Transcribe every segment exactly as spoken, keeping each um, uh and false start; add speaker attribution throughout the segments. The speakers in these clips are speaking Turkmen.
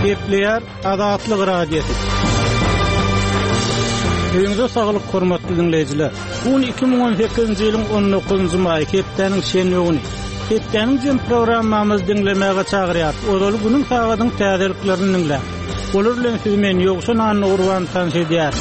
Speaker 1: Gepleýär Azatlyk Radiosy. Öýüňize saglyk hormatly diňleýjiler. Bu gün iki müň on sekizinji ýylyň on dokuzynjy maýy, hepdäniň şenbe güni. Hepdäniň jem programmamyzy diňlemäge çagyrýar. Ozaly günüň sagadyň täzeliklerini diňläň. Olar bilen sizi men Ýowşan Annagurban tanyş edýär.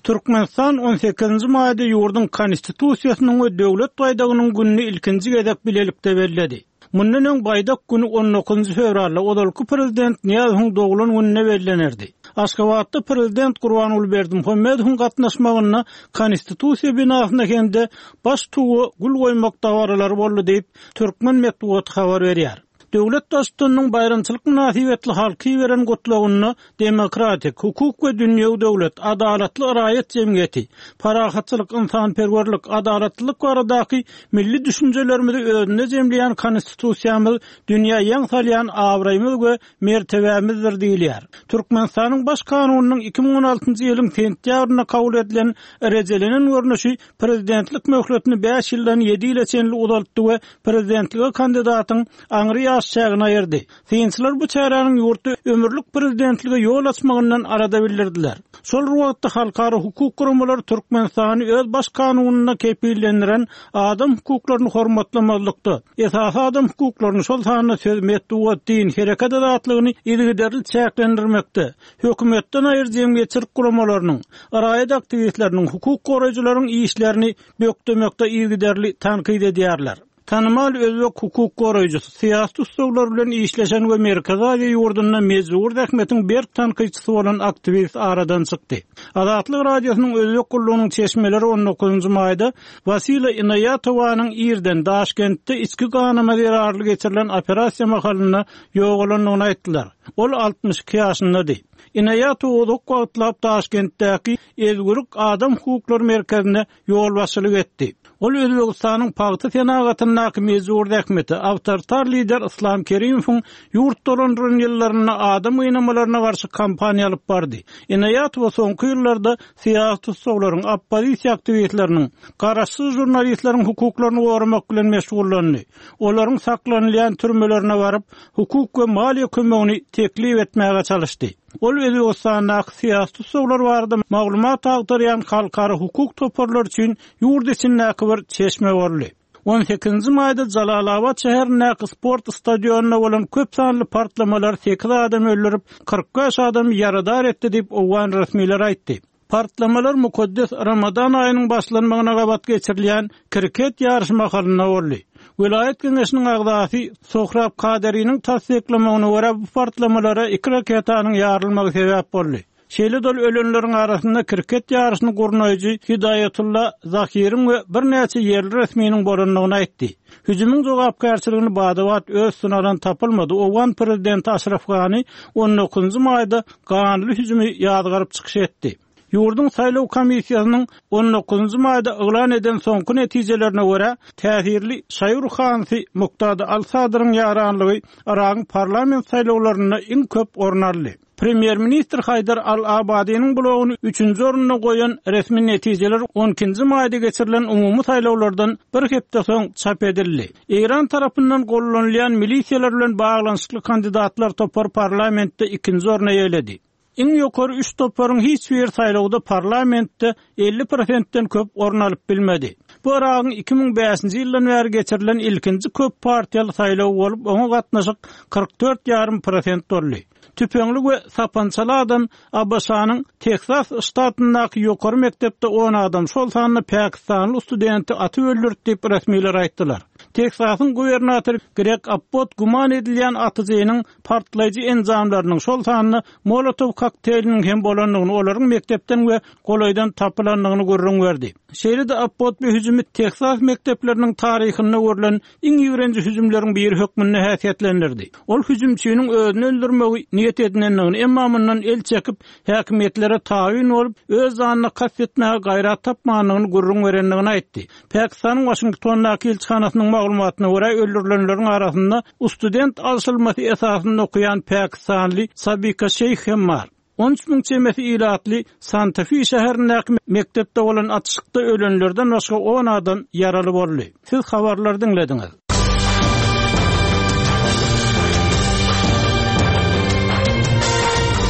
Speaker 1: Türkmenistan on sekizinji maýda ýurduň Konstitusiýasynyň we döwlet baýdagynyň gününi ilkinji gezek bilelikde belledi. Mundan öň baýdak günü on dokuzynjy fewralda ozalky prezident Nyýazowyň doglan gününe bellenerdi. Aşgabatda prezident Gurbanguly Berdimuhamedowyň gatnaşmagynda Konstitusiýa binasyna hem-de baş tuwa gül goýmak dabaralary boldy diýip, Türkmen metbugaty habar berýär. Döwlet baştutanynyň baýramçylyk mynasybetli halky beren gutlagynda demokratik, hukuk we dünýewi döwlet, adalatly raýat jemgyýeti, parahatçylyk, insanperwerlik, adalatlylyk baradaky milli düşünjelerimizi özünde jemleýän konstitusiýamyz dünýä ýaň salýan abraýymyz we mertebämizdir diýilýär. Türkmenistanyň baş kanunynyň iki müň on altynjy ýylyň sentýabrynda kabul edilen rejelenen görnüşi prezidentlik möhletini bäş ýyldan ýedi ýyla çenli uzaltdy we prezidentlige kandidatyň aňry ýaş çägini aýyrdy. Synçylar bu çäräniň ýurtda ömürlik prezidentlige ýol açmagyndan arada bildirdiler. Şol wagtda halkara hukuk guramalary Türkmenistany öz baş kanunynda kepillendiren adam hukuklaryny hormatlamazlykda, esasy adam hukuklaryny şol sanda söz, metbugat, din, hereket azatlygyny yzygiderli çäklendirmekde, hökümetden aýry jemgyýetçilik guramalarynyň, raýat aktiwistleriniň, hukuk goraýjylaryň işlerini bökdemekde yzygiderli tankyt edýärler. Tanymal özbek hukuk goraýjysy, syýasy tussaglar bilen işleşen we Merkezi Aziýa ýurdunda mejbur zähmetiň berk tankytçysy bolan aktiwist aradan çykdy. Azatlyk Radiosynyň özbek gullugynyň çeşmeleri on dokuzynjy maýda Wasila Inaýatowanyň irden Daşkentde içki ganama zerarly geçirilen operasiýa mahalynda ýogalandygyny aýtdylar. Ol altmyş iki ýaşyndady. Inaýatowa uzak wagtlap Daşkentdäki Ezgürük Adam Hukuklary Merkezine ýolbaşçylyk etdi. Ol Özbekistanyň pagta senagatyndaky mejbur zähmeti, awtoritar lider Islam Kerimowyň ýurt dolandyran ýyllarynda adam gynamalaryna garşy kampaniýa alyp bardy. Inaýatowa soňky ýyllarda syýasy tussaglaryň, oppozisiýa aktiwistleriniň, garaşsyz žurnalistleriň hukuklaryny goramak bilen meşgullandy. Olaryň saklanylýan türmelerine baryp, hukuk we maliýe kömegini teklip etmäge çalyşdy. Ol Özbekistandaky syýasy tussaglar barada maglumat agtarýan halkara hukuk toparlary üçin ýurt içindäki bir çeşme boldy. on sekizinji maýda Jalalabad şäherindäki sport stadionynda bolan köp sanly partlamalar sekiz adam öldürip, kyrk bäş adam ýaradar etdi diýip owgan resmileri aýtdy. Partlamalar mukaddes Ramazan aýynyň başlanmagyna gabat geçirilýän kriket ýaryşy mahalynda boldy. Welaýat geňeşiniň agzasy Sohrab Kaderiniň tassyklamagyna görä bu partlamalara iki raketanyň ýarylmagy sebäp boldy. Şeýle dol ölenleriň arasynda kriket ýaryşyny gurnaýjy Hidaýatullah Zahiriň we birnäçe ýerli resminiň bolandygyny aýtdy. Hüjümiň jogapkärçiligini badabat öz üstüne alan tapylmady. Owgan prezidenti Aşraf Gani on dokuzynjy maýda ganly hüjümi ýazgaryp çykyş etdi. Ýurduň saýlaw komissiýasynyň on dokuzynjy maýda yglan eden soňky netijelerine görä, täsirli Şaýur Hansi Muktada Al-Sadryň ýaranlygy Yragyň parlament saýlawlarynda iň köp orun aldy. Premýer-ministr Haýdar Al-Abadiniň blogyny üçünji orunda goýan resmi netijeler on ikinji maýda geçirilen umumy saýlawlardan bir hepde soň çap edildi. Eýran tarapyndan gollanylýan milisiýalar bilen baglanyşykly kandidatlar topar parlamentde ikinji orna eýeledi. Iň ýokary üç toparyň hiç bir saýlawda parlamentde elli prosentden köp orun alyp bilmedi. Bu Yragyň iki müň bäşinji ýyldan bäri geçirilen ilkinji köp partiýaly saýlaw bolup, oňa gatnaşyk kyrk dört ýarym prosent boldy. Tüpeňli we sapançaly adam A B Ş-nyň Teksas ştatyndaky ýokary mekdepde on adam, şol sanda pakistanly studenti atyp öldürdi diýip resmiler aýtdylar. Teksasyň gubernatory Greg Abbott güman edilýän atyjynyň partlaýjy enjamlarynyň, şol sanda Molotov kokteýliniň hem bolandygyny, olaryň mekdepden we golaýdan tapylandygyny gürrüň berdi. Şeýle-de Abbott bu hüjümi Teksas mekdepleriniň taryhynda görülen iň ýigrenji hüjümleriň biri hökmünde häsiýetlendirdi. Ol hüjümçiniň özüni öldürmegi niýet edinendigini, emma mundan el çekip, häkimiýetlere tabyn bolup, öz janyna kast etmäge gaýrat tapmandygyny gürrüň berendigini aýtdy. Pakistanyň Waşingtondaky ilçihanasynyň maglumatyna görä öldürilenleriň arasynda student alşylmasy esasynda okuýan pakistanly Sabika Şeýh hem bar. On üç müň çemesi ilatly Santa Fe şäherindäki mekdepde bolan atyşykda ölenlerden başga on adam ýaraly boldy. Siz habarlary diňlediňiz.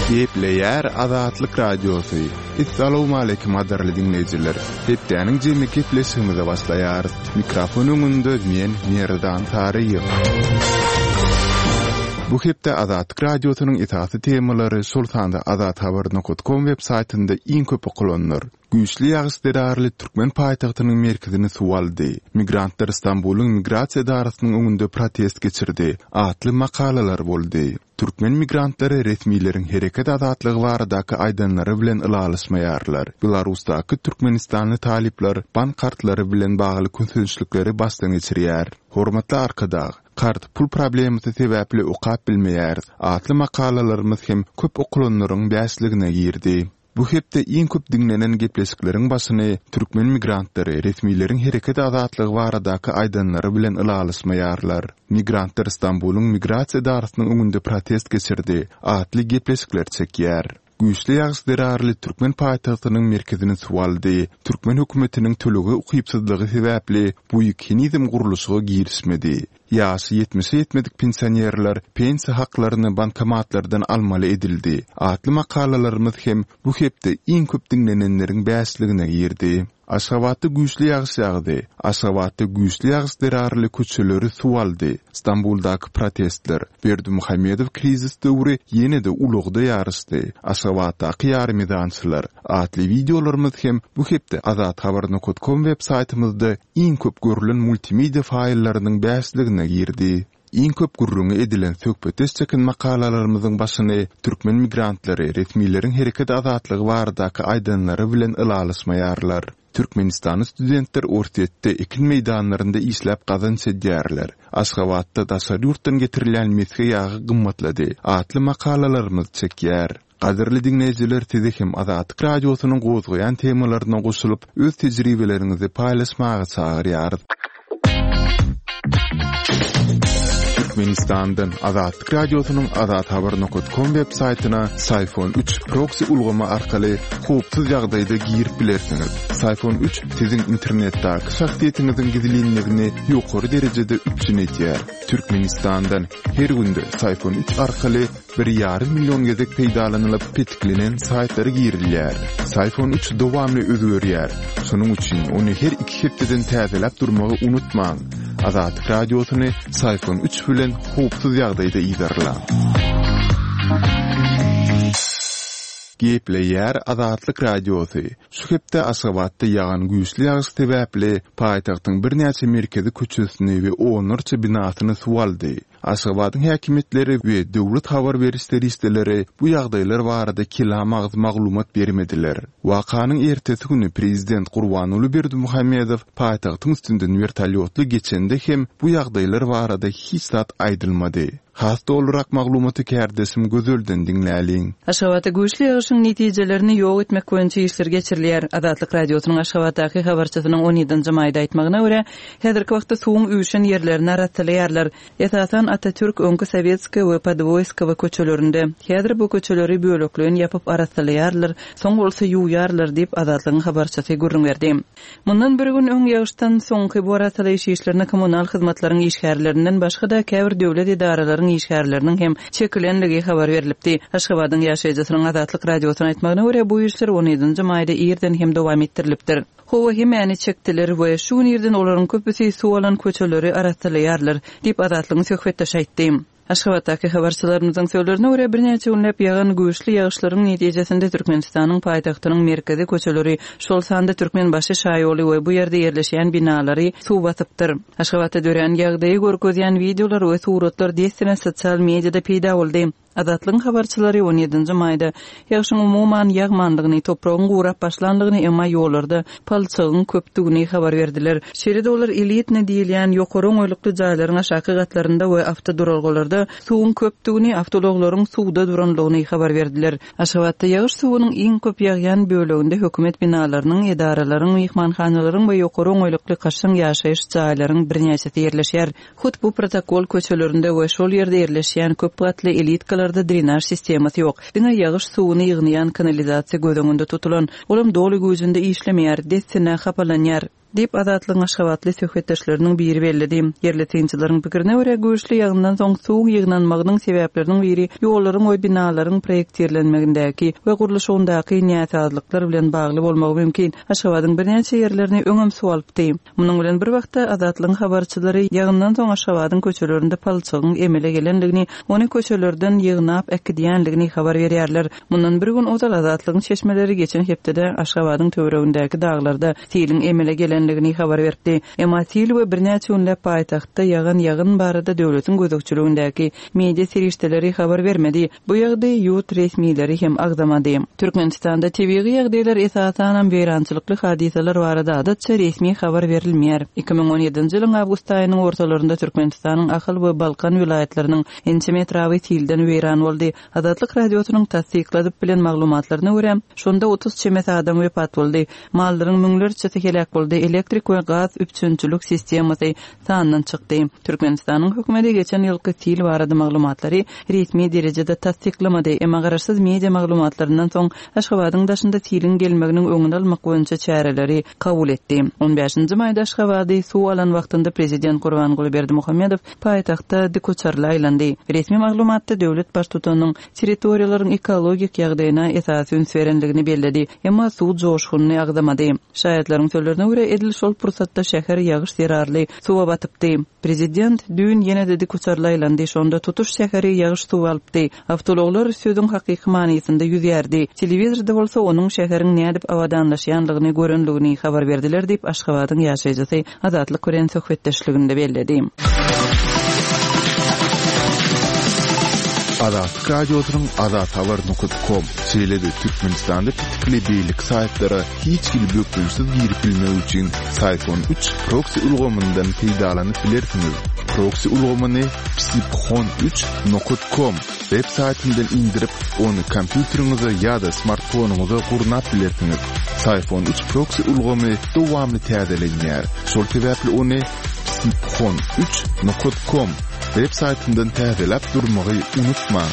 Speaker 2: Gepleýär Azatlyk Radiosy. Essalawmaleýkim gadyrly diňleýjiler. Hepdäniň jemi gepleşigimize başlaýarys. Mikrofon öňünde men Merdan Saryýew. Bu hepde Azatlyk Radiosynyň esasy temalary, şol sanda azathabar.com web saýtynda iň köp okalanlar. Güýçli ýagyş zerarly türkmen paýtagtynyň merkezini suw aldy. Migrantlar Stambulyň migrasiýa edarasynyň öňünde protest geçirdi atly makalalar boldy. Türkmen migrantlary resmileriň hereket azatlygy baradaky aýdanlary bilen ylalaşmaýarlar. Belarusdaky türkmenistanly talyplar bank kartlary bilen bagly kösençlikleri başdan geçirýär. Hormatly Arkadag, kart pul problemasy sebäpli okap bilmeýäris atly makalalarymyz hem köp okalanlaryň bäşligine girdi. Bu hepde iň köp diňlenen gepleşikleriň başyny türkmen migrantlary resmileriň hereket azatlygy baradaky aýdanlary bilen ylalaşmaýarlar. Migrantlar Stambulyň migrasiýa edarasynyň öňünde protest geçirdi atly gepleşikler çekýär. Güýçli ýagyş zerarly türkmen paýtagtynyň merkezini suw aldy. Türkmen hökümetiniň tölege ukypsyzlygy sebäpli bu ýük henizem gurluşyga girişmedi. Ýaşy ýetmişe ýetmedik pensionerler pensiýa haklaryny bankomatlardan almaly edildi atly makalalarymyz hem bu hepde iň köp diňlenenleriň bäşligine girdi. Aşgabatda güýçli ýagyş ýagdy. Aşgabatda güýçli ýagyş zerarly köçeleri suw aldy. Stambuldaky protestler, Berdimuhamedow krizis döwri ýene-de ulagda ýaryşdy. Aşgabatdaky ýarymezançylar atly wideolarymyz hem bu hepde azathabar.com web saýtymyzda iň köp görülen multimedia faýllarynyň bäşligine girdi. Iň köp gürrüňi edilen söhbetdeş çeken makalalarymyzyň başyny türkmen migrantlary resmileriň hereket azatlygy baradaky aýdanlary bilen ylalaşmaýarlar. Türkmenistanly studentler Orsýetde ekin meýdanlarynda işläp gazanç edýärler. Aşgabatda daşary ýurtdan getirilýän mesge ýagy gymmatlady atly makalalarymyz çekýär. Gadyrly diňleýjiler, sizi hem Azatlyk Radiosynyň gozgaýan temalaryna goşulyp, öz tejribeleriňizi paýlaşmaga çagyrýarys. Türkmenistandan Azatlyk Radiosynyň azathabar.com web saýtyna Syfon üç proxy ulgamy arkaly howpsuz ýagdaýda girip bilersiňiz. Syfon üç siziň internetdäki şahsyýetiňiziň gizlinligini ýokary derejede üpjün edýär. Türkmenistandan her günde Syfon üç arkaly bir ýarym million gezek peýdalanylyp petiklenen saýtlara girilýär. Syfon üç dowamly özgerýär. Şonuň üçin ony her iki hepdeden täzeläp durmagy unutmaň. Azatlyk Radiosyny Syfon üç bilen howpsuz ýagdaýda yzarlaň. Gepleýär Azatlyk Radiosy. Şu hepde Aşgabatda ýagan güýçli ýagyş sebäpli paýtagtyň birnäçe merkezi köçesini we onlarça binasyny suw aldy. Aşgabadyň häkimiýetleri we döwlet habar beriş serişdeleri bu ýagdaýlar barada kelam agyz maglumat bermediler. Wakanyň ertesi güni prezident Gurbanguly Berdimuhamedow paýtagtyň üstünden wertolýotly geçende hem bu ýagdaýlar barada hiç zat aýdylmady. Has dolurak maglumaty kärdeşim Gözelden diňläliň.
Speaker 3: Aşgabatda güýçli ýagyşyň netijelerini ýok etmek boýunça işler geçirilýär. Azatlyk Radiosynyň Aşgabatdaky habarçysynyň on ýedinji maýda aýtmagyna görä, häzirki wagtda suwuň üýşen ýerlerini arassalaýarlar. Esasan Atatürk, öňki Sowetskiý we Podwoýskowa köçelerinde. Häzir bu köçeleri bölekleýin ýapyp arassalaýarlar, soň bolsa ýuwýarlar diýip Azatlygyň habarçysy gürrüň berdi. Mundan bir gün öň ýagyşdan soňky bu arassalaýyş işlerine kommunal hyzmatlaryň işgärlerinden başga-da käbir döwlet edaralaryň işgärleriniň hem çekilenligi habar berilipdi. Aşgabadyň ýaşaýjysynyň Azatlyk Radiosyna aýtmagyna görä, bu işler on ýedinji maýda irden hem dowam etdirilipdir. Howa hemäni çekdiler we şu gün irden olaryň köpüsi suw alan köçeleri arassalaýarlar diýip Azatlygyň söhbetdeşi aýtdy. Aşgabatdaky habarçylarymyzyň sözlerine görä, birnäçe günläp ýagan güýçli ýagyşlaryň netijesinde Türkmenistanyň paýtagtynyň merkezi köçeleri, şol sanda Türkmenbaşy şaýoly we bu ýerde ýerleşýän binalary suw basypdyr. Aşgabatda dörän ýagdaýy görkezýän wideolar we suratlar dessine sosial mediada peýda boldy. Azatlygyň habarçylary on ýedinji maýda ýagşyň umuman ýagmanlygyny, topragyň gurap başlanlygyny, emma ýollarda palçygyň köpdügini habar berdiler. Şeýle-de olar elitne diýilýän ýokary oňaýlykly jaýlaryň aşaky gatlarynda we awtoduralgalarda suwuň köpdügini, awtoulaglaryň suwda duranlygyny habar berdiler. Aşgabatda ýagyş suwunyň iň köp ýagýan böleginde hökümet binalarynyň, edaralaryň, myhmanhanalaryň we ýokary oňaýlykly kaşaň ýaşaýyş jaýlaryň birnäçesi ýerleşýär. Hut bu protokol köçelerinde we şol ýerde ýerleşýän köp gatly elitkalarda drenaj sistemasy ýok. Diňe ýagyş suwuny ýygnaýan kanalizasiýa göz öňünde tutulan. Olam doly güýjünde işlemeýär, dessine hapalanýar. Diýip, Azatlygyň aşgabatly söhbetdeşleriniň biri belledi. Ýerli synçylaryň pikirine görä, güýçli ýagyndan soň suwuň ýygnanmagynyň sebäpleriniň biri ýollaryň we binalaryň proýektirlenmegindäki we gurluşygyndaky näsazlyklar bilen bagly bolmagy mümkin. Aşgabadyň birnäçe ýerlerini öňem suw alypdy. Munuň bilen bir wagtda Azatlygyň habarçylary ýagyndan soň Aşgabadyň köçelerinde palçygyň emele gelendigini, ony köçelerden ýygnap äkidýändigini habar berýärler. Mundan bir gün ozal Azatlygyň çeşmeleri geçen hepdede Aşgabadyň töweregindäki daglarda siliň emele gelendigini habar beripdi. Emma sil we birnäçe günläp paýtagtda ýagan ýagyn barada döwletiň gözegçiligindäki media serişdeleri habar bermedi. Bu ýagdaýy ýurt resmileri hem agzamady. Türkmenistanda tebigy ýagdaýlar esasanam weýrançylykly hadysalar barada adatça resmi habar berilmeýär. Iki müň on ýedinji ýylyň awgust aýynyň ortalarynda Türkmenistanyň Ahal we Balkan welaýatlarynyň ençeme etraby silden weýran boldy. Azatlyk Radiosynyň tassykladyp bilen maglumatlaryna görä, şonda otuz çemesi adam wepat boldy. Mallaryň müňlerçesi heläk boldy. Elektrik we gaz üpjünçilik sistemasy sandan çykdy. Türkmenistanyň hökümeti geçen ýylky sil barada maglumatlary resmi derejede tassyklamady. Emma garaşsyz media maglumatlaryndan soň Aşgabadyň daşynda siliň gelmeginiň öňüni almak boýunça çäreleri kabul etdi. On bäşinji maýda Aşgabady suw alan wagtynda prezident Gurbanguly Berdimuhamedow paýtagtda dikuçarly aýlandy. Resmi maglumatda döwlet baştutanynyň territoriýalaryň ekologik ýagdaýyna esasy üns berendigini belledi. Emma suw joşgunyny agzamady. Şaýatlaryň sözlerine görä, edil şol pursatda şäher ýagyş zerarly suwa batypdy. Prezident düýn ýene-de dikuçarly aýlandy. Şonda tutuş şäheri ýagyş suwy alypdy. Awtoulaglar sözüň hakyky manysynda ýüzýärdi. Telewizorda bolsa onuň şäheriň nädip abadanlaşýanlygyny görenligini habar berdiler diýip, Aşgabadyň ýaşaýjysy Azatlyk bilen söhbetdeşliginde belledi.
Speaker 2: Azatlyk Radiosynyň azathabar nokta com, şeýle-de Türkmenistanda petikli beýleki saýtlara hiç hili bökdençsiz girip bilmek üçin Syfon üç proksi ulgamyndan peýdalanyp bilersiňiz. Proksi ulgamyny psiphon üç nokta com web saýtyndan indirip, ony kompýuteriňize ýa-da smartfonyňyza gurnap bilersiňiz. Syfon üç proksi ulgamy dowamly täzelenýär. Şol sebäpli ony psiphon üç nokta com web saýtyndan täzeläp durmagy unutmaň.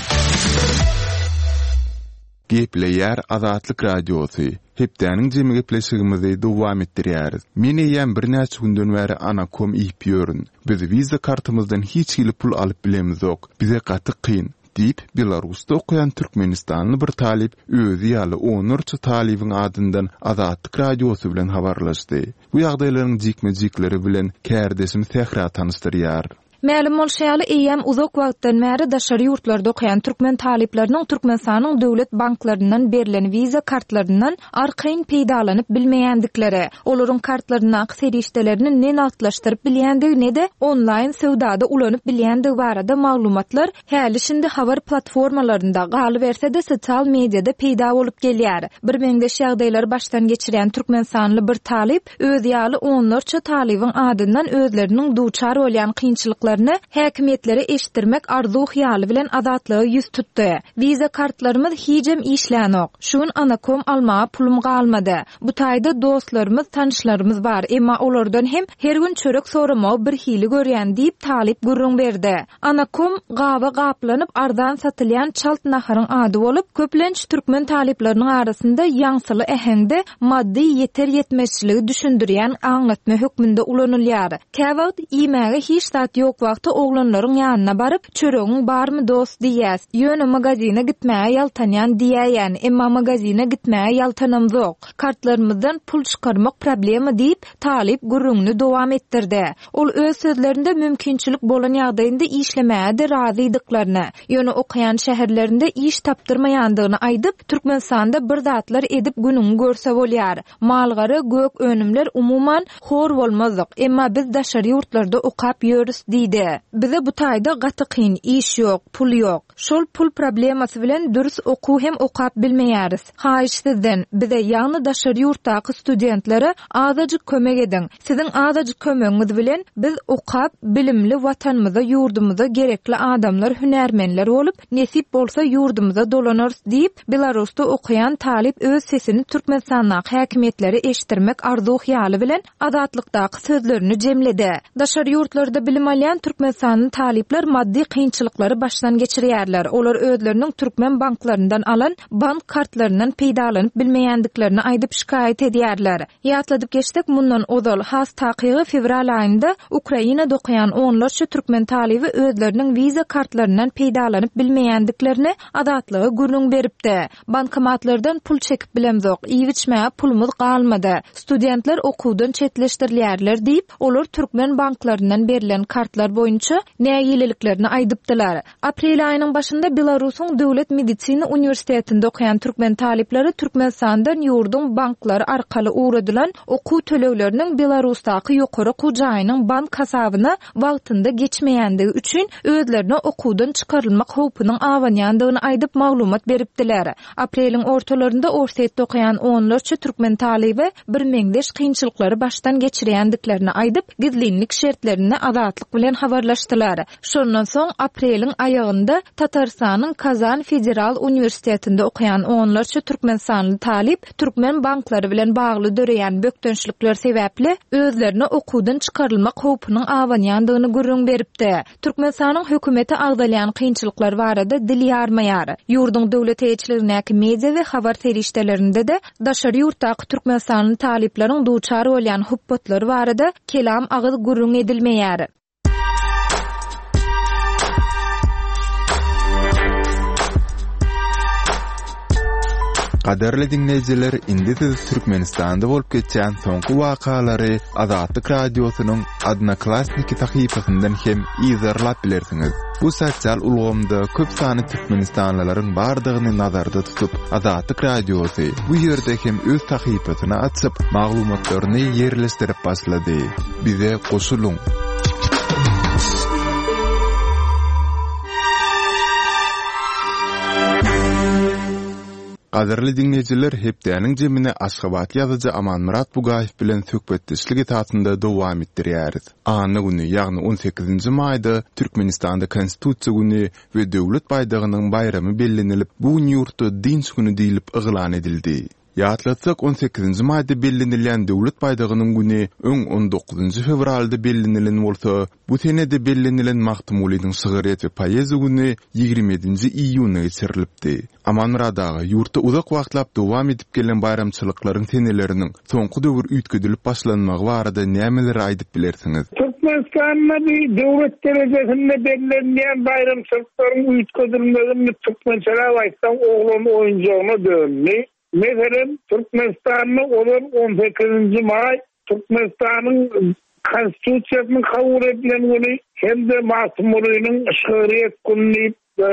Speaker 2: Gepleýär Azatlyk Radiosy. Hepdäniň jemi gepleşigimizi dowam etdirýäris. Men eýýäm birnäçe günden bäri Anakom iýip ýörün. Biz Visa kartymyzdan hiç hili pul alyp bilemizok. Bize gaty kyn diýip Belarusda okaýan Türkmenistanly bir talyp özi ýaly onlarça talybyň adyndan Azatlyk Radiosy bilen habarlaşdy. Bu ýagdaýlaryň jikme-jikleri bilen kärdeşim Sähra tanyşdyrýar.
Speaker 4: Mälim bolşy ýaly, eýýäm uzak wagtdan bäri daşary ýurtlarda okaýan türkmen talyplarynyň Türkmenistanyň döwlet banklaryndan berlen Visa kartlaryndan arkaýyn peýdalanyp bilmeýändikleri, olaryň kartlaryndaky serişdelerini ne nagtlaşdyryp bilýändigi, ne-de onlaýn söwdada ulanyp bilýändigi barada maglumatlar häli şindi habar platformalarynda, galyberse-de sosial mediada peýda bolup gelýär. Bir meňzeş ýagdaýlary başdan geçirýän Türkmenistanly bir talyp öz ýaly onlarça talybyň adyndan özleriniň duçar bolýan kynçylyklaryny häkimiýetlere eşitdirmek arzuw hyýaly bilen Azatlyga ýüz tutdy. Visa kartlarymyz hijem işlänok. Şu gün Anakom almaga pulum galmady. Bu taýda dostlarymyz, tanyşlarymyz bar, emma olardan hem her gün çörek soramagy bir hili görýän diýip talyp gürrüň berdi. Anakom gaba gaplanyp arzan satylýan çalt naharyň ady bolup, köplenç türkmen talyplarynyň arasynda ýaňsyly äheňde maddy ýeter ýetmezçiligi düşündirýän aňlatma hökmünde ulanylýar. Käwagt iýmäge hiç zat ýok wagty oglanlaryň ýanyna baryp, çöregiň barmy dost diýýäs. Ýöne magazine gitmäge ýaltanýan diýäýän, emma magazine gitmäge ýaltanamzok. Kartlarymyzdan pul çykarmak problema diýip, talyp gürrüňini dowam etdirdi. Ol öz sözlerinde mümkinçilik bolan ýagdaýynda işlemäge-de razydyklaryny, ýöne okaýan şäherlerinde iş tapdyrmaýandygyny aýdyp, Türkmenistanda bir zatlar edip günüňi görse bolýar. Malgara gök önümler umuman hor bolmazdyk, emma biz daşary ýurtlarda okap ýörüs diýdi. Bize bu taýda gaty kyn, iş ýok, pul ýok. Şol pul problemasy bilen dürs okuw hem okap bilmeýäris. Haýyş sizden, bize ýagny daşary ýurtdaky studentlere azajyk kömek ediň. Siziň azajyk kömegiňiz bilen biz okap, bilimli watanymyza, ýurdumyza gerekli adamlar, hünärmenler bolup, nesip bolsa ýurdumyza dolanarys diýip, Belarusda okaýan talyp öz sesini Türkmenistandaky häkimiýetlere eşitdirmek arzuw hyýaly bilen Azatlykdaky sözlerini jemledi. Daşary ýurtlarda bilim alýan Türkmenistanly talyplar maddy kynçylyklary başdan geçirýärler. Olar özleriniň türkmen banklaryndan alan bank kartlaryndan peýdalanyp bilmeýändiklerini aýdyp şikaýat edýärler. Ýatladyp geçsek, mundan ozal has takygy fewral aýynda Ukrainada okaýan onlarça türkmen talyby özleriniň Visa kartlaryndan peýdalanyp bilmeýändiklerini Azatlyga gürrüň beripdi. Bankomatlardan pul çekip bilemzok, iýip-içmäge pulumyz galmady. Studentler okuwdan çetleşdirilýärler diýip, olar türkmen banklaryndan berlen kartlar boýunça nägileliklerini aýdypdylar. Aprel aýynyň başynda Belarusyň Döwlet medisina uniwersitetinde okaýan türkmen talyplary Türkmenistandan ýurduň banklary arkaly ugradylan okuw tölegleriniň Belarusdaky ýokary okuw jaýynyň bank hasabyna wagtynda geçmeýändigi üçin özlerine okuwdan çykarylmak howpunyň abanýandygyny aýdyp maglumat beripdiler. Apreliň ortalarynda Orsýetde okaýan onlarça türkmen talyby bir meňzeş kynçylyklary başdan geçirýändiklerini aýdyp, gizlinlik şertlerinde Azatlyk bilen habarlaşdylar. Şondan soň apreliň aýagynda Tatarystanyň Kazan Federal Uniwersitetinde okaýan onlarça türkmenistanly talyp türkmen banklary bilen bagly döreýän bökdençlikler sebäpli özlerine okuwdan çykarylmak howpunyň abanýandygyny gürrüň beripdi. Türkmenistanyň hökümeti agzalýan kynçylyklar barada dil ýarmaýar. Ýurduň döwlet eýeçiligindäki media we habar serişdelerinde-de daşary ýurtdaky türkmenistanly talyplaryň duçar bolýan hupbatlary barada kelam agyz gürrüň edilmeýär.
Speaker 2: Gadyrly diňleýjiler, indi siz Türkmenistanda bolup geçýän soňky wakalary Azatlyk Radiosynyň Odnoklassniki sahypasyndan hem yzarlap bilersiňiz. Bu sosial ulgamda köp sany türkmenistanlylaryň bardygyny nazarda tutup, Azatlyk Radiosy bu ýerde hem öz sahypasyny açyp, maglumatlaryny ýerleşdirip başlady. Bize goşulyň. Gadyrly diňleýjiler, hepdäniň jemini Aşgabat ýazyjy Amanmyrat Bugaýew bilen söhbetdeşlik esasynda dowam etdirýäris. Anna güni, ýagny on sekizinji maýda Türkmenistanda Konstitusiýa güni we Döwlet baýdagynyň baýramy bellenilip, bu gün ýurtda dynç güni diýlip yglan edildi. Ýatlatsak, on sekizinji maýda bellenilýän Döwlet baýdagynyň güni öň on dokuzynjy fewralda bellenilen bolsa, bu senede bellenilen Magtymgulynyň şygryýet we poeziýa güni ýigrimi ýedinji iýunda geçirilipdi. Amanmyrat aga, ýurtda uzak wagtlap dowam edip gelen baýramçylyklaryň seneleriniň soňky döwür üýtgedilip başlanmagy barada nämeleri aýdyp bilersiňiz?
Speaker 5: Türkmenistanda bir döwlet derejesinde bellenýän baýramçylyklaryň üýtgedilmegini türkmençeläp aýtsaň oglan oýunjagyna döndü. Meselem, Türkmenistanda olan on sekizinji maý Türkmenistanyň Konstitusiýasynyň kabul edilen güni hem de Magtymgulynyň şygryýet güni diýip, e,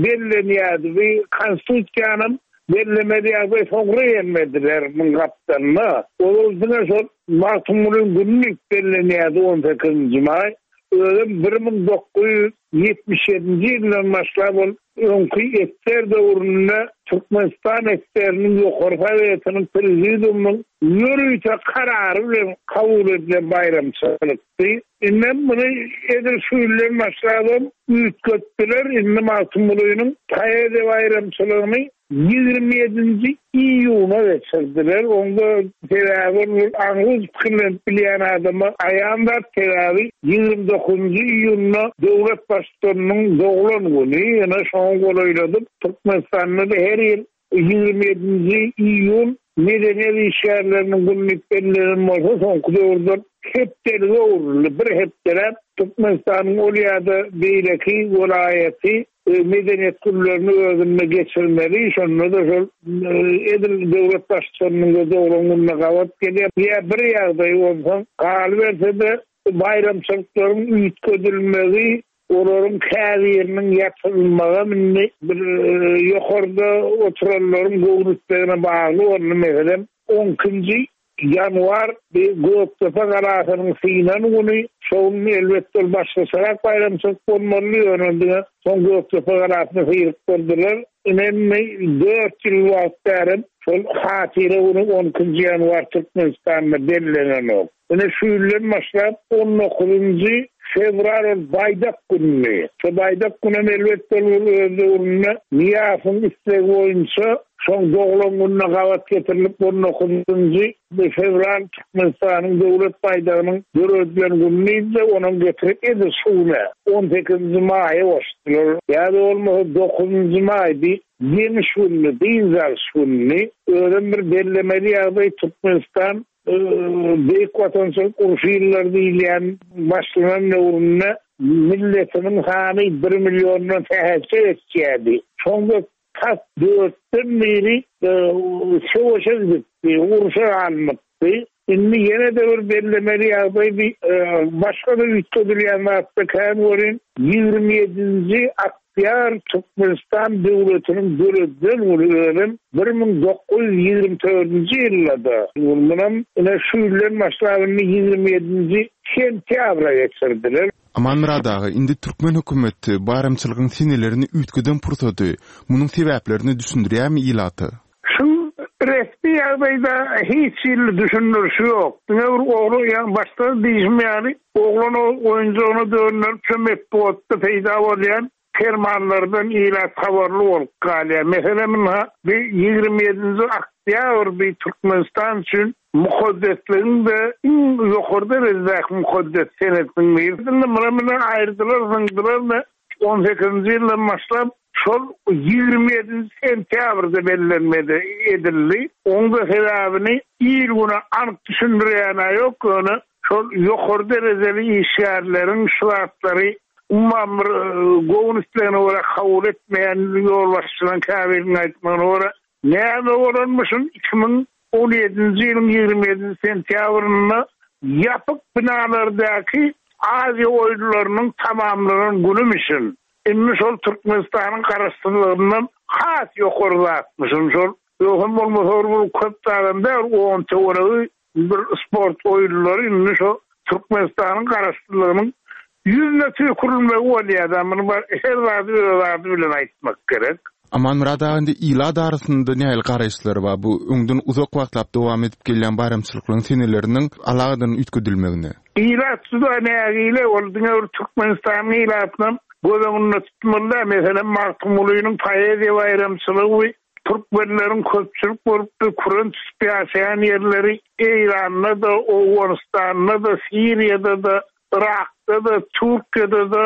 Speaker 5: bellenýärdi. Bu Konstitusiýanyň bellemeli ýagdaý soňra gelmediler müň gapdalynda. Ol diňe şol Magtymgulynyň güni diýip bellenýärdi on sekizinji maý. Özem bir müň dokuz ýüz ýetmiş ýedinji ýyldan başlap ol öňki esser döwründe Türkmenistan esseriniň ýokary sowetiniň prezidiumynyň ýörite karary bilen kabul edilen baýramçylykdy. Indem muny edil şu ýyldan başlap üýtgetdiler. Indi Magtymgulynyň poeziýa baýramçylygyny ýigrimi ýedinji iýuna geçirdiler. Onda sebäbi ol aňyz pikirlenip bilýän adama aýan zat, sebäbi ýigrimi dokuzynjy iýunda döwlet baştutanynyň doglan güni, ýene şoňa golaýladyp Türkmenistanda da her ýyl ýigrimi ýedinji iýun medeniýet işgärleriniň güni diýip bellenen bolsa, soňky döwürde hepdelige öwrüldi. Bir hepdeläp Türkmenistanyň ol ýa-da beýleki welaýaty medeniýet günlerini özünde geçirmeli. Şonda da şol, e, edil döwlet baştutanynyň doglan gününe gabat gelýär. Ýa bir ýagdaý bolsa, galyberse-de baýramçylyklaryň üýtgedilmegi, olaryň käbiriniň ýatyrylmagy indi bir, e, ýokarda oturanlaryň göwnüsine bagly boldy. Meselem, on ikinji ýanwar bir Gökdepe galasynyň synan güni, şoň elbetde ol başgaçarak baýramçylyk bolmaly, ýöne diňe soň Gökdepe galasyny syryp durdular. Indi dört ýyl wagt bäri şol hatyra güni on ikinji ýanwar Türkmenistanda bellenenok. Ine şu ýyldan başlap on dokuzynjy fewral ol baýdak günü. Şu baýdak günü elbetde ol öz döwründe Nyýazowyň islegi boýunça Şoň doglan gününe gabat getirilip on dokuzynjy fewral Türkmenistanyň döwlet baýdagynyň döredilen gününi onuň getirip edil şu güne on sekizinji maýa goşdular. Ýa-da bolmasa dokuzynjy maý bir ýeňiş günü, dynç alyş günü. Özem bir bellemeli ýagdaý Türkmenistan Beýik Watançylyk urşy ýyllary diýilýän başlanan döwründe milletiniň hany bir milliondan sähelçe geçýärdi. Soňra tas dörtden biri söweşe gidipdi, urşa alnypdy. Indi ýene de bir bellemeli ýagdaý bir başga da üýtgedilýän zatda kän görün ýigrimi ýedinji oktýabr Türkmenistan döwletiniň döredilen günü özem bir müň dokuz ýüz ýigrimi dördünji ýylda. Munam ine şu ýyldan başlap indi ýigrimi ýedinji sentýabra geçirdiler.
Speaker 2: Amanmyrat aga, indi türkmen hökümeti baýramçylygyň senelerini üýtgeden pursady, munuň sebäplerini düşündirýärmi ilata?
Speaker 5: Şu resmi ýagdaýda hiç ýyl düşündirişi ýok. Diňe bir ogly, ýagny başda diýişim ýaly, oglan oýunjagyna dönderip şu metbugatda peýda bolýan fermanlardan ilat habarly bolup galýar. Meselem, ynha, bir ýigrimi ýedinji oktýabr bir Türkmenistan üçin mukaddesligiň de iň ýokary derejedäki mukaddes senetiniň biri. Indi muny muny aýyrdylar, zyňdylar we on sekizinji ýyldan başlap şol ýigrimi ýedinji sentýabrda bellenmedi edildi. Onuň da sebäbini il güne anyk düşündirýän ýok, ýöne şol ýokary derejeli işgärleriň şu zatlary umuman bir göwün islegine görä kabul etmeýän ýolbaşçylaryň käbiriniň aýtmagyna görä näme bolanmyşyn iki müň on ýedinji ýylyň ýigrimi ýedinji sentýabrynda ýapyk binalardaky Aziýa oýunlarynyň tamamlanan günümişin. Indi şol Türkmenistanyň garaşsyzlygyndan has ýokary zatmyşyn şol. Ýogsam bolmasa bir köp adam däl, on töweregi bir sport oýunlary indi şo Türkmenistanyň garaşsyzlygynyň ýüzüne tüýkürilmegi bolýar. Muny bar, her zady öz ady bilen aýtmak gerek.
Speaker 2: Amanmyrat aga, indi ilat arasynda nähili garaýyşlar bar? Bu öňden uzak wagtlap dowam edip gelýän baýramçylyklaryň seneleriniň alagadan üýtgedilmegine.
Speaker 5: Ilat juda nägile, ol diňe bir Türkmenistanyň ilatynyň göz öňünde tutmaly däl. Meselem, Magtymgulynyň poeziýa baýramçylygy türkmenleriň köpçülik bolup bir küren tutup ýaşaýan ýerleri Eýranda-da, Owganystanda-da, Siriýada-da, Irakda-da, Türkiýede-de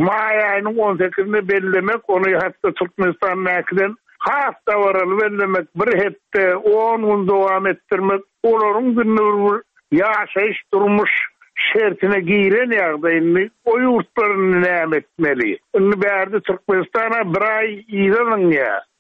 Speaker 5: maý aýynyň on sekizinde bellemek, ony hatda Türkmenistandakydan has dabaraly bellemek, bir hepde on gün dowam etdirmek, olaryň günü bir ýaşaýyş durmuş şertine giren ýagdaýyny o ýurtlaryny näme etmeli? Indi bärde Türkmenistana bir aý ýygynyň,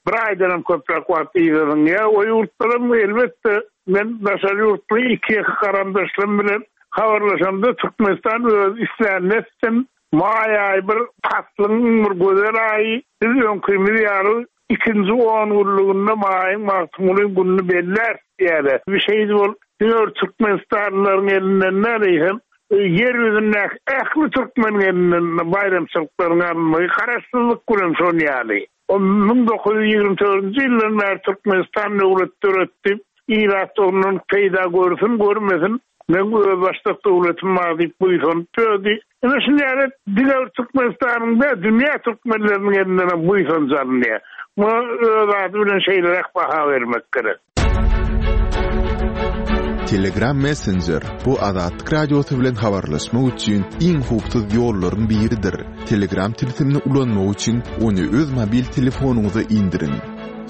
Speaker 5: bir aýdan hem köpräk wagt ýygynyň. O ýurtlaryň elbetde men daşary ýurtly iki ýeke garamdaşlarym bilen habarlaşamda Türkmenistan öz islänlesin maý aýy bir paslyň bir gözel aýy, biz öňkimiz ýaly ikinji on günlüginde maýyň Magtymgulyň gününi belläris diýýärler. Bir şey bol, diňe Türkmenistanlylaryň elinden näleýhem, ýer ýüzündäki ähli türkmen elinden baýramçylyklaryň alynmagy garaşsyzlyk bilen şon ýaly. O müň dokuz ýüz ýigrimi dördünji ýyldan bäri Türkmenistan döwlet döretdi. Ilat ondan peýda görsün, görmesin, men öz başdak döwletim bar diýip buýsanyp dödi. Ine şuny ýaly diňe Türkmenistanyň da dünýä türkmenleriniň elinden hem buýsanç alynýar. Muňa öz ady bilen şeýleräk baha bermek gerek.
Speaker 2: Telegram Messenger bu Azatlyk Radiosy bilen habarlaşmak üçin iň howpsuz ýollaryň biridir. Telegram tilsimini ulanmak üçin ony öz mobil telefonyňyza indiriň.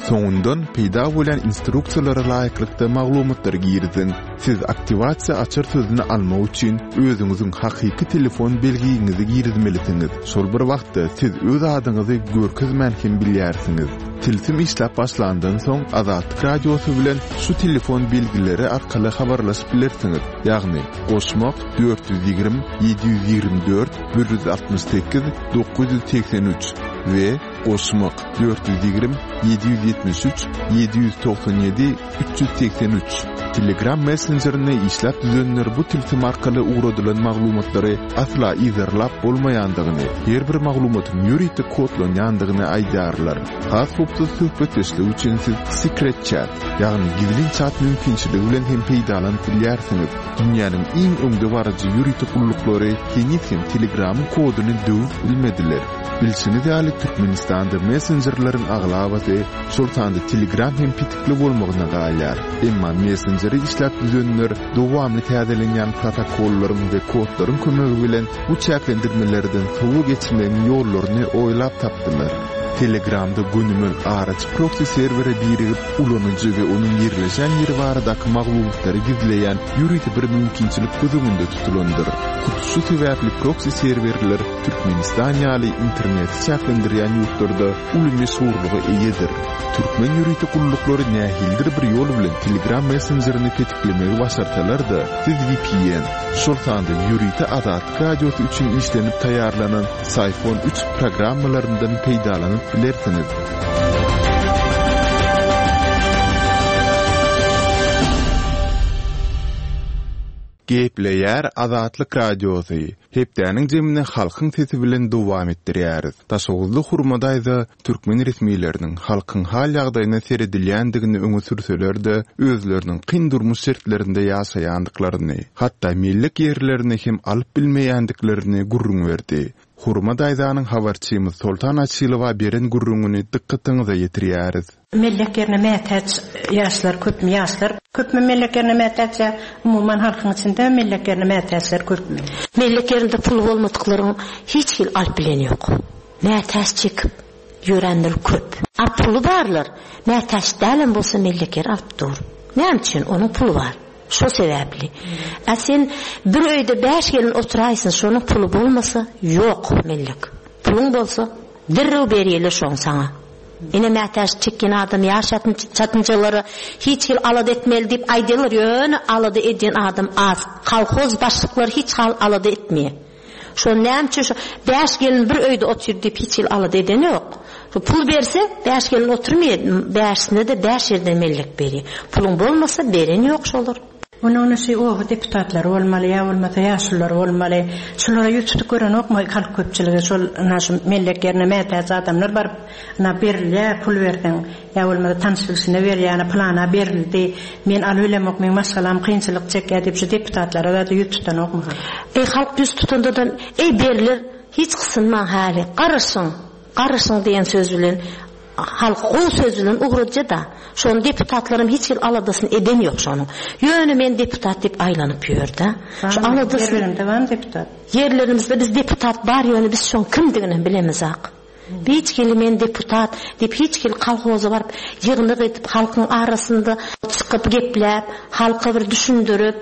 Speaker 2: Soňundan peýda bolan instruksiýalara laýyklykda maglumatlary giriziň. Siz aktiwasiýa açar sözüni almak üçin özüňiziň hakyky telefon belgiňizi girizmelisiňiz. Şol bir wagtda siz öz adyňyzy görkezmän hem bilýärsiňiz. Tilsim işläp başlandan soň Azatlyk Radiosy bilen şu telefon belgileri arkaly habarlaşyp bilersiňiz. Ýagny goşmak dört ýüz ýigrimi, ýedi ýüz ýigrimi dört, bir ýüz altmyş sekiz, dokuz ýüz segsen üç we goşmak dört ýüz ýigrimi, ýedi ýüz ýetmiş üç, ýedi ýüz togsan ýedi, üç ýüz segsen üç. Telegram messenjerini işläp düzenler bu tilsim arkaly ugradylan maglumatlary asla yzarlap bolmaýandygyny, her bir maglumatyň ýörite kodlanýandygyny aýdýarlar. Has howpsuz söhbetdeşlik üçin siz Secret Chat, ýagny gizlin chat mümkinçiligi bilen hem peýdalanyp bilýärsiňiz. Dünýäniň iň öňde baryjy ýörite gulluklarynyň gulluklary heniz hem Telegramyň koduny döwüp bilmediler. Bilşiňiz ýaly, Türkmenistanda messenjerleriň aglabasy, şol sanda Telegram hem petikli bolmagyna galýar. Emma messenjeri işläp düzenler dowamly täzelenýän protokollaryň we kodlaryň kömegi bilen bu çäklendirmelerden sowa geçmegiň ýollaryny oýlap tapdylar. Telegramda gönümel araçy proksi serwere birigip, ulanyjy we onuň ýerleşen ýeri baradaky maglumatlary gizleýän ýörite bir mümkinçilik göz öňünde tutulandyr. Hut şu sebäpli proksi serwerler Türkmenistan ýaly interneti çäklendirýän ýurtlarda uly meşhurlyga eýedir. Türkmen ýörite gulluklary nähilidir bir ýol bilen Telegram messenjerini petiklemegi başarsalar-da, siz V P N, şol sanda ýörite Azatlyk Radiosy üçin işlenip taýýarlanan Psiphon üç programmalaryndan peýdalanyp bilersiňiz. Gepleýär Azatlyk Radiosy. Hepdäniň jemini halkyň sesi bilen dowam etdirýäris. Daşoguzly Hurma daýza türkmen resmileriniň halkyň hal ýagdaýyna seredilýändigini öňe sürseler-de, özleriniň kyn durmuş şertlerinde ýaşaýandyklaryny, hatda mellek ýerlerini hem alyp bilmeýändiklerini gürrüň berdi. Hurma daýzanyň habarçymyz Soltan Açylowa beren gürrüňini dykgatyňyza ýetirýäris.
Speaker 6: Mellek ýerine mätäç ýaşlar köpmi, ýaşlar köpmi mellek ýerine mätäç ýa umuman halkyň içinde mellek ýerine mätäçler köpmi?
Speaker 7: Mellek ýerinde pul bolmadyklaryň hiç hil alyp bilen ýok. Mätäç çekip ýörenler köp. A puly barlar, mätäç dälem bolsa mellek ýer alyp dur. Näme üçin? Onuň puly bar. Şo sebäpli. A sen bir öýde bäş gelin oturaýsyn, şonuň puly bolmasa ýok mellek. Puluň bolsa derrew berýärler şoň saňa. Ine mätäç çekýän adam ýaş çatynjalara hiç hil alada etmeli diýip aýdýarlar, ýöne alada edýän adam az. Kolhoz başlyklary hiç hal alada etmeýär. Şo näme üçin şo bäş gelin bir öýde otyr diýip hiç hil alada eden ýok. Şo pul berse bäş gelin oturmaýar, bäşine-de bäş ýerden mellek berýär. Puluň bolmasa beren ýok şolar.
Speaker 6: Onuň şu oba deputatlary bolmaly, ýa bolmasa ýaşulular bolmaly. Şulara ýüz tutup görenokmy halk köpçüligi şol ina şu mellek ýerine mätäç adamlar baryp, ina berilýär, pul berseň, ýa bolmasa tanyş bilşine berýär, plana berildi. Men alyp bilemok, meň maşgalam kynçylyk çekýär diýip şu deputatlara da ýüz tutanokmy halk?
Speaker 7: Ey halk ýüz tutandadan ey beriler, hiç gysynmaň häli, garaşyň, garaşyň diýen söz bilen halk gowy söz bilen ugradja da. Şonuň deputatlarym hiç hil aladasyny eden ýok şonuň. Ýöne men deputat diýip aýlanyp ýör-de. Şu aladasyny
Speaker 6: Ýerlerinde barmy deputat?
Speaker 7: Ýerlerimizde biz deputat bar, ýöne biz şoň kimdigini bilemizak. Hiç hili men deputat diýip hiç hili kolhoza baryp ýygnak edip halkyň arasynda çykyp gepläp, halka bir düşündirip,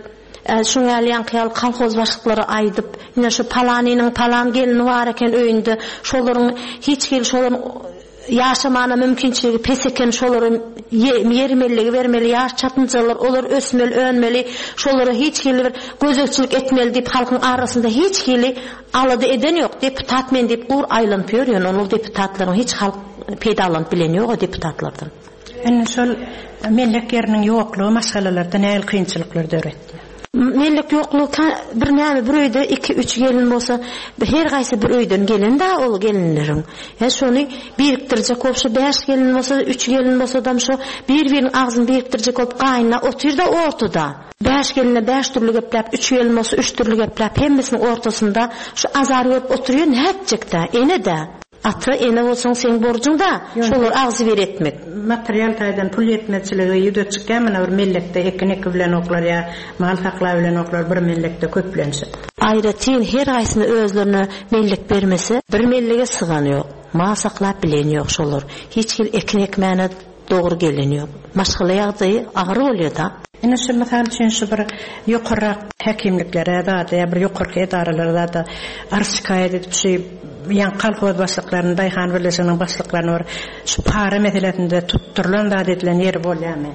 Speaker 7: şuň ýaly ýaňky ýaly kolhoz başlyklary aýdyp, ine şu palanynyň palan gelini bar eken öýünde, şolaryň hiç hili şolaryň ýaşamana mümkinçiligi pes eken, şolary ýer mellegi bermeli, ýaş çatynjalar olar ösmeli, önmeli, şolara hiç hili bir gözegçilik etmeli diýip halkyň arasynda hiç hili alada eden ýok. Deputat men diýip gur aýlanyp ýör, ýöne ol deputatlaryň hiç halk peýdalanyp bilen ýok o deputatlardan.
Speaker 6: Indi şol mellek ýeriniň ýoklugy maşgalalarda nähili kynçylyklar döretdi?
Speaker 7: Mellek ýoklugy bir näme bir öýde iki üç gelin bolsa her gaýsy bir öýden gelen da ol gelinleriň. Ya şony birikdirjek bolup şu bäş gelin bolsa üç gelin bolsa dam şo bir-biriniň agzyny birikdirjek bolup gaýyna otyr da ortada. Bäş geline bäş dürli gepläp, üç gelin bolsa üç dürli gepläp, hemmesiniň ortasynda şu azar görüp oturýar, nätjek-dä, ene-de. Ata ene bolsaň seň borjuň da, şolar agzy bir etmek.
Speaker 6: Material taýdan pul ýetmezçiligi ýüze çykýar, mana bir mellekde ekin eki bilen oklar ýa mal saklap bilen oklar bir mellekde köplenşip.
Speaker 7: Aýratyn her gaýsyny özlerine mellek bermese, bir mellege sygan ýok. Mal saklap bilen ýok şolar. Hiç hil ekin ekmäne dogry gelen ýok. Maşgala ýagdaýy agyr bolýar da.
Speaker 6: Ine şu mysal üçin şu bir ýokarrak häkimliklere zada ýa bir ýokarky edaralara zada arz şikaýat edip şu ýaň kolhoz başlyklaryny, daýhan birleşiginiň başlyklaryny bir şu para meselesinde tutdurylan zat edilen ýeri bolýarmy?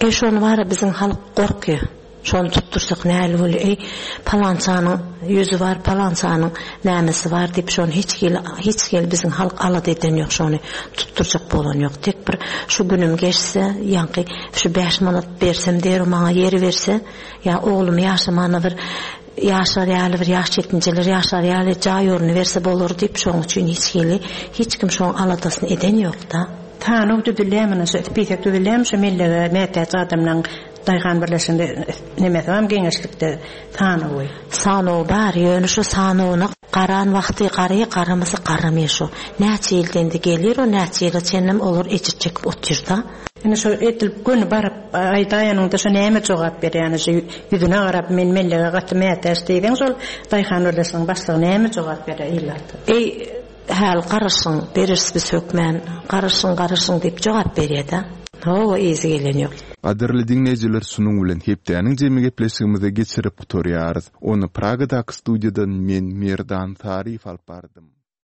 Speaker 7: E şony bara biziň halk gorkýar. Şony tutdursak näli bolýar? Ey palançanyň ýüzi bar, palançanyň nämesi bar diýip şony hiç hili hiç hili biziň halk alada eden ýok, şony tutdurjak bolan ýok. Tek bir şu günüm geçse, ýaňky şu bäş manat bersem der maňa ýeri berse, ýa oglum ýaşamana bir ýaşar ýaly bir ýaş ýetginjeler ýaşar ýaly jaý orny berse bolar diýip şoň üçin hiç hili hiç kim şoň aladasyny eden ýok da.
Speaker 6: Sanaw düzülýärmi, şu spisek düzülýärmi şu mellege mätäç adamlaryň Daýhan birleşiginde nemesi barmy geňeşlikde sanawy?
Speaker 7: Sanawy bar, ýöne şu sanawyna garan wagty garaýa garamasa garamaýa şu. Näçe ýylda indi gelir o näçe ýyla çenlem olar ejir çekip otyrda.
Speaker 6: Indi şo edil göni baryp aýdaýanyňda şo näme jogap berýär ýani şo ýüzüne garap men mellege gaty mätäç diýseň şol daýhan birleşiginiň başlygy näme jogap berýär ilata?
Speaker 7: Eý häl garaşyň bereris biz hökmän garaşyň garaşyň diýip jogap berýär-dä. Hawa yzy gelen ýok.
Speaker 2: Gadyrly diňleýjiler şunuň bilen hepdäniň jemi gepleşigimizi geçirip gutarýarys. Ony Pragadaky studiýadan men Merdan Saryýew alyp bardym.